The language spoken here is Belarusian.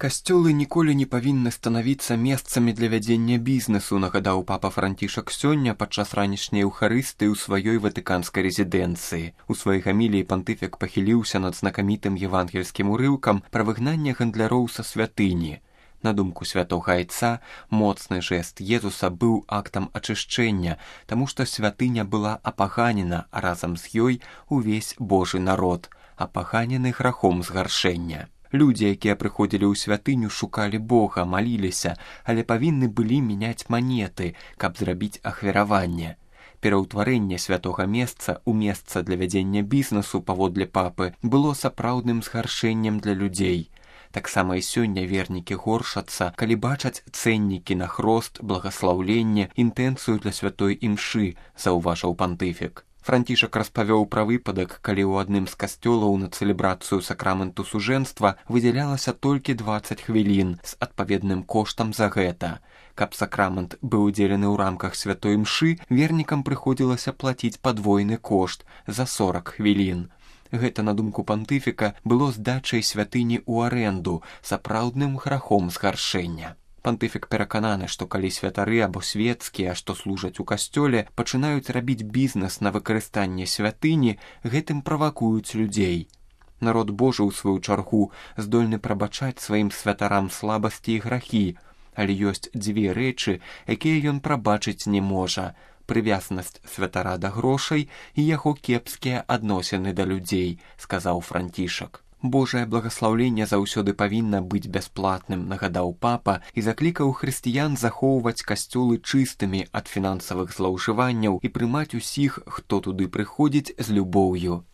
Касцёлы ніколі не павінны станавіцца месцамі для вядзення бізнесу, нагадаў папа Францішак сёння падчас ранішняй еўхарыстыі ў сваёй ватыканскай рэзідэнцыі. У сваёй гаміліі пантыфік пахіліўся над знакамітым евангельскім урыўкам пра выгнанне гандляроў са святыні. На думку святога айца, моцны жэст Езуса быў актам ачышчэння, таму што святыня была апаганена, а разам з ёй увесь Божы народ, апаганены грахом згаршэння. Людзі, якія прыходзілі ў святыню, шукалі Бога, маліліся, але павінны былі мяняць манеты, каб зрабіць ахвяраванне. Пераўтварэнне святога месца ў месца для вядзення бізнесу, паводле папы, было сапраўдным згаршэннем для людзей. Таксама і сёння вернікі горшацца, калі бачаць цэннікі на хрост, благаслаўленне, інтэнцыю для святой імшы, заўважыў пантыфік. Францішак распавёў пра выпадак, калі ў адным з касцёлаў на цэлебрацыю сакраменту сужэнства выдзялялася толькі 20 хвілін з адпаведным коштам за гэта. Каб сакрамент быў удзелены ў рамках святой імшы, вернікам прыходзілася плаціць падвойны кошт за 40 хвілін. Гэта, на думку пантыфіка, было здачай святыні ў арэнду, сапраўдным грахом згаршэння. Пантыфік перакананы, што калі святары або свецкія, што служаць у касцёле, пачынаюць рабіць бізнес на выкарыстанне святыні, гэтым правакуюць людзей. Народ Божы, ў сваю чаргу, здольны прабачаць сваім святарам слабасці і грахі, але ёсць дзве рэчы, якія ён прабачыць не можа: прывязнасць святара да грошай і яго кепскія адносіны да людзей, сказаў Францішак. Божае благаслаўленне заўсёды павінна быць бясплатным, нагадаў папа і заклікаў хрысціян захоўваць касцёлы чыстымі ад фінансавых злоўжыванняў і прымаць усіх, хто туды прыходзіць, з любоўю.